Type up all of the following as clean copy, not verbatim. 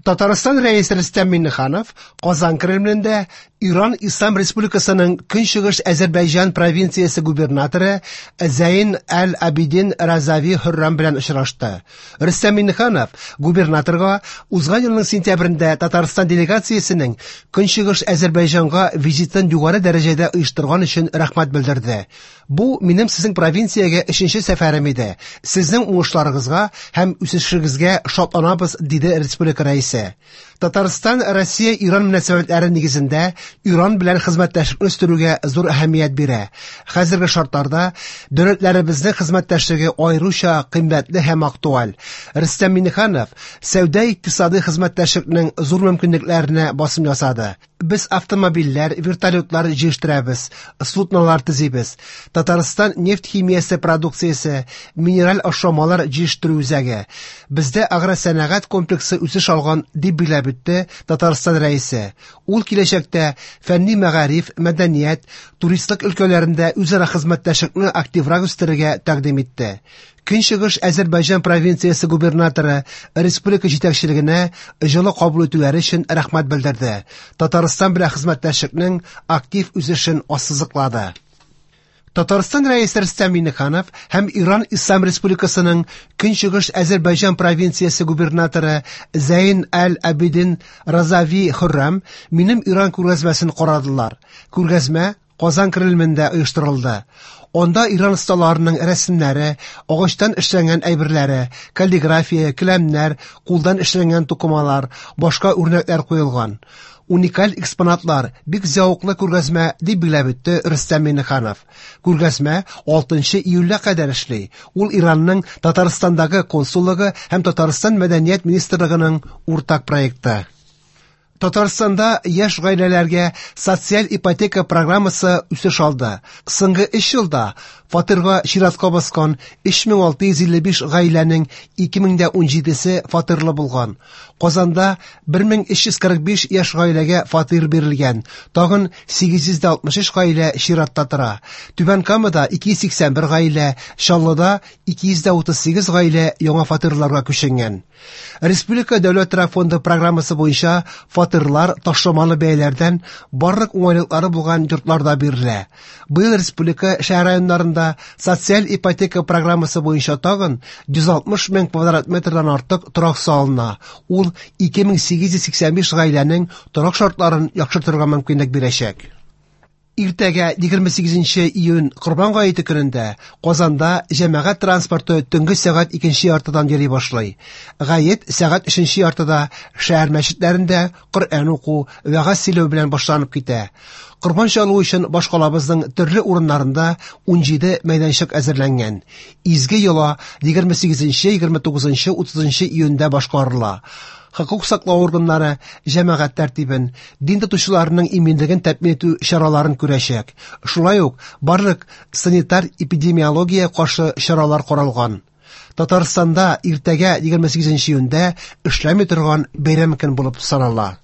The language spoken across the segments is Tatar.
Татарстан Рәисе Рөстәм Миңнеханов Казан Кремлендә Иран Ислам Республикасының Көнчыгыш Әзербайҗан провинциясе губернаторы Зәйн әл-Абидин Разави Хөррам белән очрашты. Рөстәм Миңнеханов губернаторга узган елның сентябрендә Татарстан делегациясенең Көнчыгыш Әзербайҗанга визитын югары дәрәҗәдә оештырган өчен рәхмәт белдерде. Бу минем сезнең провинциягә өченче сәфәрем иде. Сезнең уңышларыгызга һәм үсешегезгә шатланабыз, диде республика рәисе. Татарстан Россия-Иран мөнәсәбәтләре нигезендә Иран белән хезмәттәшлекне үстерүгә зур әһәмият бирә. Хәзерге шартларда дәүләтләребезнең хезмәттәшлеге аеруча кыйммәтле һәм актуаль. Рөстәм Миңнеханов сәүдә-икътисадый хезмәттәшлекнең зур мөмкинлекләренә басым ясады. Без автомобильләр, вертолетлар җыештырабыз, суднолар төзибез. Татарстан нефть химиясе продукциясе, минераль ашламалар җитештерү үзәге. Бездә агросәнәгать комплексы үсеш алган, дип билгеләп үтте Татарстан Рәисе. Ул киләчәктә фәнни мәгариф, мәдәният, туристлык өлкәләрендә үзара хезмәттәшлекне активрак үстерергә тәкъдим итте. Көнчыгыш Әзербайҗан провинциясе губернаторы республика җитәкчелегенә җылы кабул итүләре өчен рәхмәт белдерде. Татарстан белән хезмәттәшлекнең актив үсешен ассызыклады. Татарстан Рәисе Рөстәм Миңнеханов һәм Иран Ислам Республикасының Көнчыгыш Әзербайҗан провинциясе губернаторы Зәйн әл-Абидин Разави Хөррам минем Иран күргәзмәсен карадылар. Күргәзмә Казан Кремлендә оештырылды. Анда Иран осталарының рәсемнәре, агачтан эшләнгән әйберләре, каллиграфия, келәмнәр, кулдан эшләнгән тукымалар, башка үрнәкләр куелган. Уникаль экспонатлар, бик зәвыклы күргәзмә, дип билгеләп үтте Рөстәм Миңнеханов. Күргәзмә 6 июльгә кадәр эшли. Ул Иранның Татарстандагы консуллыгы һәм Татарстан Мәдәният министрлыгының уртак проекты. Татарстанда яшь гаиләләргә социаль ипотека программасы үсеш алды. Соңгы 3 елда фатирга чиратка баскан 3655 гаиләнең 2017-се фатирлы булган. Казанда 1345 яшь гаиләгә фатир бирелгән. Тагын 863 гаилә чиратта тора. Түбән Камада 281 гаилә, Чаллыда 238 гаилә яңа фатирларга күченгән. Республика дәүләт торак фонды программасы буенча фатирлар ташламалы бәяләрдән барлык уңайлыклары булган йортларда бирелә. Быел республика шәһәр районнарында социаль ипотека программасы буенча тагын 160 мең квадрат метрдан артык торак салына. Ул 2885 гаиләнең торак шартларын яхшыртырга мөмкинлек бирәчәк. Иртәгә 28 июнь Корбан гаете көнендә Казанда җәмәгать транспорты төнге сәгать 2:30-дан йөри башлый. Гает сәгать 3:30-да шәһәр мәчетләрендә Коръән уку, вәгазь сөйләү белән башланып китә. Корбан чалу өчен башкалабызның төрле урыннарында 17 мәйданчык әзерләнгән. Изге йола 28, 29, 30 июньдә башкарыла. Хокук саклау органнары җәмәгать тәртибен, дин тотучыларының иминлеген тәэмин итү чараларын күрәчәк. Шулай ук барлык санитар-эпидемиология каршы чаралар каралган. Татарстанда иртәгә 28 июньдә эшләми торган бәйрәм көн булып санала.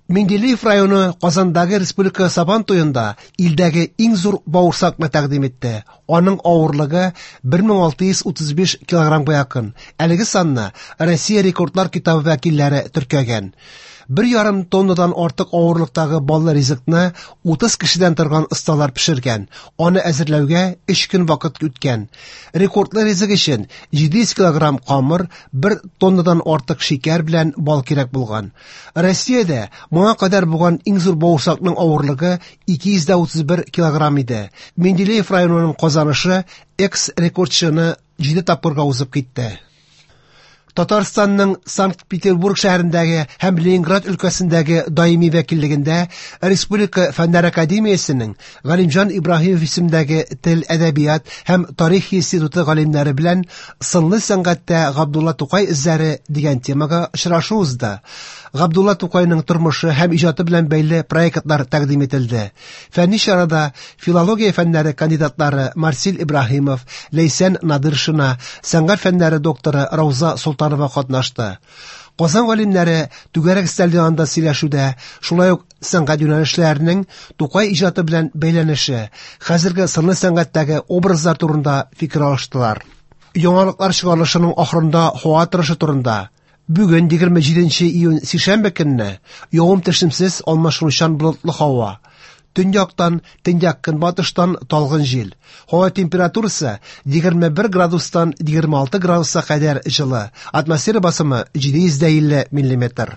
Менделеев районы Казандагы Республика Сабан туенда илдәге иң зур бавырсакны тәкъдим итте. Аның авырлыгы 1635 килограммга якын. Әлеге санны Россия рекордлар китабы вәкилләре теркәгән. 1,5 тоннадан артык авырлыктагы баллы ризыкны 30 кешедән торган осталар пешергән. Аны әзерләүгә 3 көн вакыт үткән. Рекордлы ризык өчен 700 килограмм камыр, 1 тоннадан артык шикәр белән бал кирәк булган. Россиядә моңа кадәр булган иң зур бавырсакның авырлыгы 231 килограмм иде. Менделеев районының казанышы экс-рекордчыны 7 тапкырга узып китте. Татарстанның Санкт-Петербург шәһәрендәге һәм Ленинград өлкәсендәге даими вәкиллегендә Республика Фәннәр академиясенең Галимҗан Ибраһимов исемендәге Тел, әдәбият һәм тарих институты галимнәре белән Сынлы сәнгатьтә Габдулла Тукай эзләре дигән темага очрашу узды. Габдулла Тукайның тормышы һәм иҗаты белән бәйле проектлар тәкъдим ителде. Фәнни чарада филология фәннәре кандидатлары Марсил Ибраһимов, Ләйсән Надыршина, сәнгать фәннәре докторы Рауза Солтанова катнашты. Казан галимнәре түгәрәк өстәл янында сөйләшүдә, шулай ук сәнгать юнәлешләренең Тукай иҗаты белән бәйләнеше, хәзерге сынлы сәнгатьтәге образлар турында фикер алыштылар. Яңалыклар чыгарылышының ахырында һава торышы турында. Бүген, 27 июнь сишәмбе көнне, явым-төшемсез алмашынучан болытлы һава. Төньяктан, төньяк-көнбатыштан талгын җил. Һава температурасы 21 градустан 26 градуска кадәр җылы. Атмосфера басымы 750 миллиметр.